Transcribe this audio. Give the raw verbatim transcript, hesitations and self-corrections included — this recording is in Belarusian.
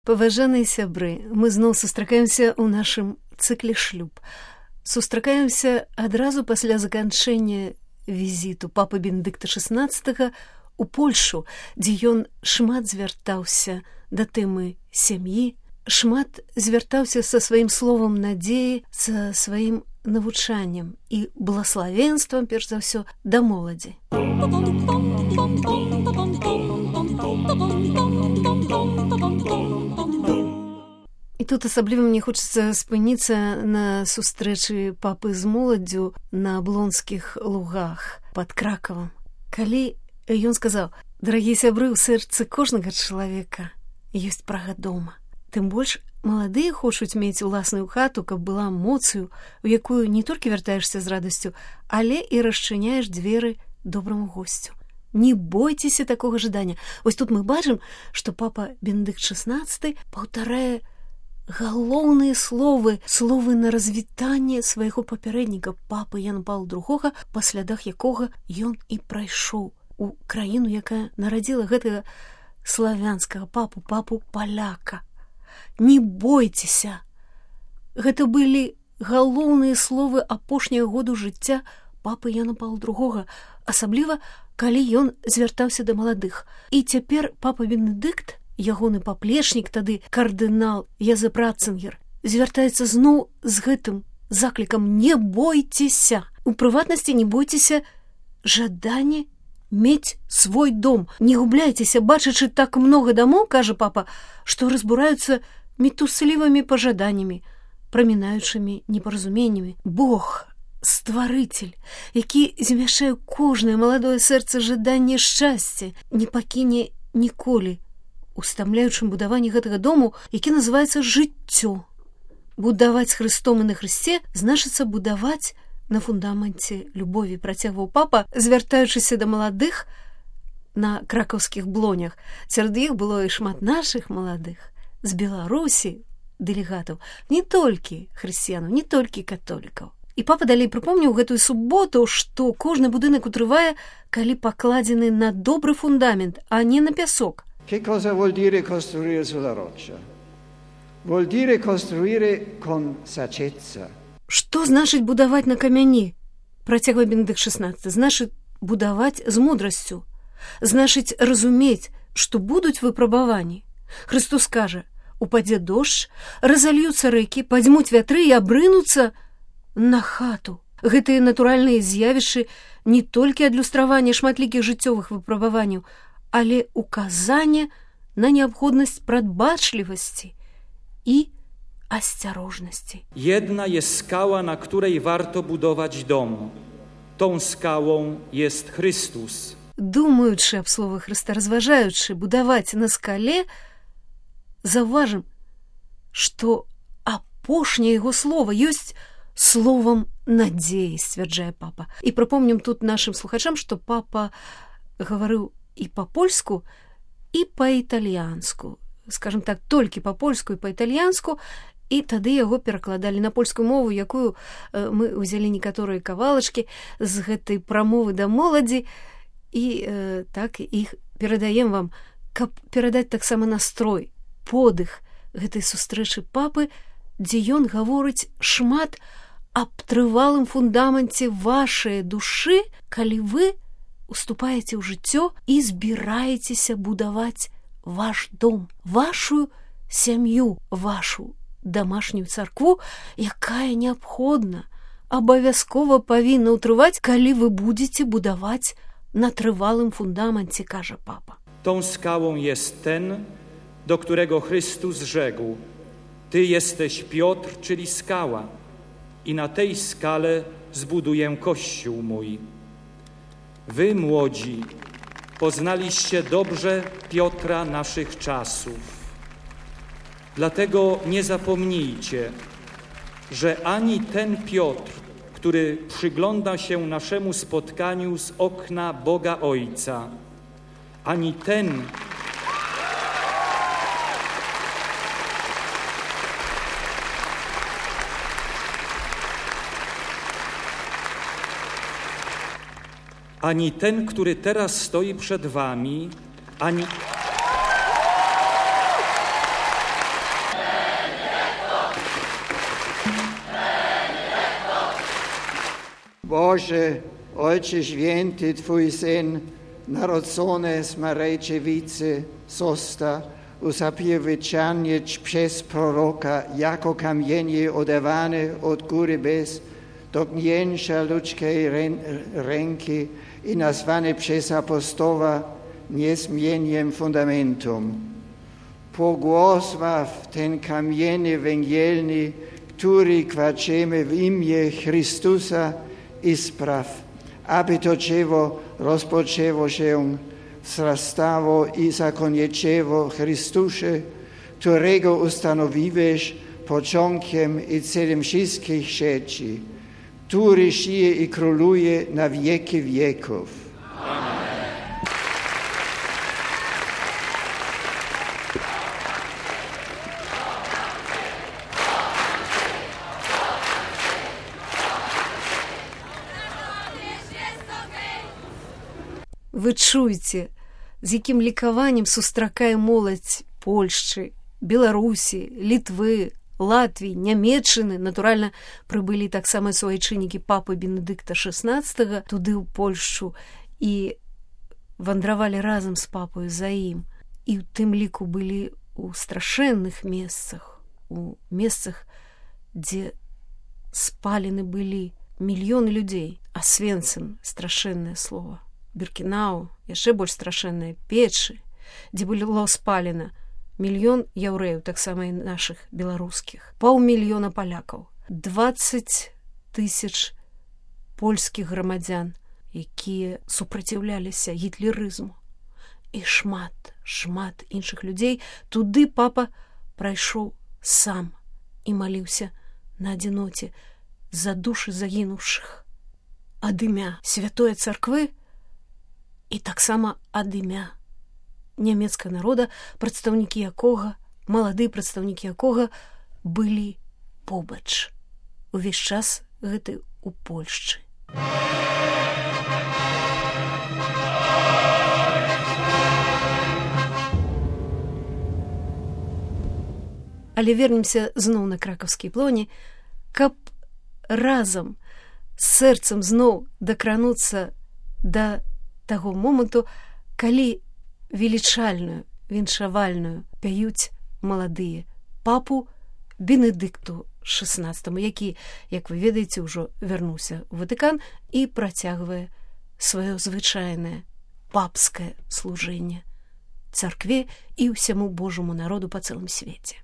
Паважаныя сябры, мы зноў сустракаемся ў нашым цыкле шлюб. Сустракаемся адразу пасля заканчэння візіту папы Бенедыкта шаснаццатага у Польшу, дзе ён шмат звяртаўся да тэмы сям'і, шмат звяртаўся са сваім словам надзеі, са сваім навучаннем і благаславенствам, перш за ўсё, да моладзі. І тут асабліва мне хочацца спыніцца на сустрэчы папы з моладдзю на Аблонскіх лугах пад Кракавам. Калі ён сказаў: «Дарагія сябры, у сэрцы кожнага чалавека ёсць прага дома». Тым больш маладыя хочуць мець уласную хату, каб была моцаю, у якую не толькі вяртаешся з радасцю, але і расчыняеш дзверы добраму госцю. Не бойцеся такога жадання. Вось тут мы бачым, што папа Бенедыкт шаснаццаты паўтарае галоўныя словы, словы на развітанне свайго папярэдніка, папы Яна Паўла другога, па слядах якога ён і прайшоў у краіну, якая нарадзіла гэтага славянскага папу, папу паляка. Не бойцеся. Гэта былі галоўныя словы апошняга году жыцця папы Яна Паўла другога, асабліва, калі ён звяртаўся да маладых. І цяпер папа Бенедыкт, ягоны паплечнік, тады кардынал Язэп Ратцынгер, звяртаецца зноў з гэтым заклікам: не бойцеся. У прыватнасці, не бойцеся жадання мець свой дом. Не губляйцеся, бачачы так многа дамоў, кажа папа, што разбураюцца метуслівымі пажаданнямі, прамінаючымі непаразуменнямі. Бог, стварыцель, які змяшае кожнае маладое сэрца жаданне шчасця, не пакіне ніколі у стамляючым будаванні гэтага дому, які называецца жыццё. Будаваць з Хрыстом і на Хрысце значыцца будаваць на фундаменце любові, працягваў папа, звяртаючыся да маладых на кракаўскіх блонях. Сярод іх было і шмат нашых маладых, з Беларусі дэлегатаў, не толькі хрысціянаў, не толькі католікаў. І папа далей прыпомніў гэтую суботу, што кожны будынак утрывае, калі пакладзены на добры фундамент, а не на пясок. Che cosa vuol dire costruire sulla roccia? Vuol dire costruire con saggezza. Што значыць будаваць на камяні? Працягвае Бенедыкт шаснаццаты. Значыць будаваць з мудрасцю. Значыць разумець, што будуць выпрабаванні. Христос кажа: упадзе дождж, разальюцца рэкі, падзьмуць вятры і абрынуцца на хату. Гэтыя натуральныя з'явішчы не толькі адлюстраванне шматлікіх жыццёвых выпрабаванняў, але указанне на неабходнасць прадбачлівасці i осторожności. Jedna jest skała, na której warto budować dom. Tą skałą jest Chrystus. Думаючы аб словах Хрыста, разважаючы будаваць на скале, заўважым, што апошняе яго слова ёсць словам надзеі, сцвярджае папа. І прыпомнім тут нашым слухачам, што папа гаварыў і па-польску, і па-італьянску. Скажем так, толькі па-польску і па-італьянску, і тады яго перакладалі на польскую мову, якую э, мы ўзялі некаторыя кавалачкі з гэтай прамовы да моладзі, і э, так іх перадаем вам, каб перадаць таксама настрой, подых гэтай сустрэчы папы, дзе ён гаворыць шмат аб трывалым фундаменце вашай душы, калі вы уступаеце ў жыццё і збіраецеся будаваць ваш дом, вашу сям'ю, вашу домашнюю царкву, якая неабходна, абавязкова павінна ўтрываць, калі вы будзеце будаваць na trwałym fundamencie, każe papa. Tą skałą jest ten, do którego Chrystus rzekł: Ty jesteś Piotr, czyli skała, i na tej skale zbuduję Kościół mój. Wy, młodzi, poznaliście dobrze Piotra naszych czasów. Dlatego nie zapomnijcie, że ani ten Piotr, który przygląda się naszemu spotkaniu z okna Boga Ojca, ani ten, ani ten, który teraz stoi przed wami, ani... Boże, Ojcze Święty, Twój Syn, narodzony z Marejczewicy, został usapiewiczany przez proroka jako kamienie oderwane od góry bez dotknięcia ludzkiej ręki i nazwany przez apostoła niezmiennym fundamentum. Pogłosław ten kamień węgielny, który kładziemy w imię Chrystusa i spraw, aby to dzieło rozpoczęło się, wzrastało i zakończyło Chrystusie, którego ustanowiłeś początkiem i celem wszystkich rzeczy, który żyje i króluje na wieki wieków. Amen. Вы чуеце, з якім лікаваннем сустракае моладзь Польшчы, Беларусі, Літвы, Латвіі, Нямецчыны. Натуральна, прыбылі таксама суайчыннікі папы Бенедыкта шэснаццатага туды ў Польшчу і вандравалі разам з папою за ім. І ў тым ліку былі ў страшэнных месцах, у месцах, дзе спалены былі мільёны людзей. Асвенцым — страшэннае слова. Біркінау, яшчэ больш страшэнныя печы, дзе было спалена мільён яўрэяў, таксама і нашых беларускіх, паўмільёна палякаў, дваццаць тысяч польскіх грамадзян, якія супраціўляліся гітлерызму, і шмат, шмат іншых людзей. Туды папа прайшоў сам і маліўся на адзіноце за душы загінуўшых. Ад імя святой царквы і таксама ад імя нямецкага народа, прадстаўнікі якога, маладыя прадстаўнікі якога былі побач увесь час гэты у Польшчы. Але вернемся зноў на кракаўскія плоні, каб разам з сэрцам зноў дакрануцца да таго моманту, калі велічальную, віншавальную пяюць маладыя папу Бенедыкту шэснаццатаму, які, як вы ведаеце, ўжо вярнуўся ў Ватыкан і працягвае сваё звычайнае папскае служэнне царкве і ўсяму Божаму народу па цэлым свеце.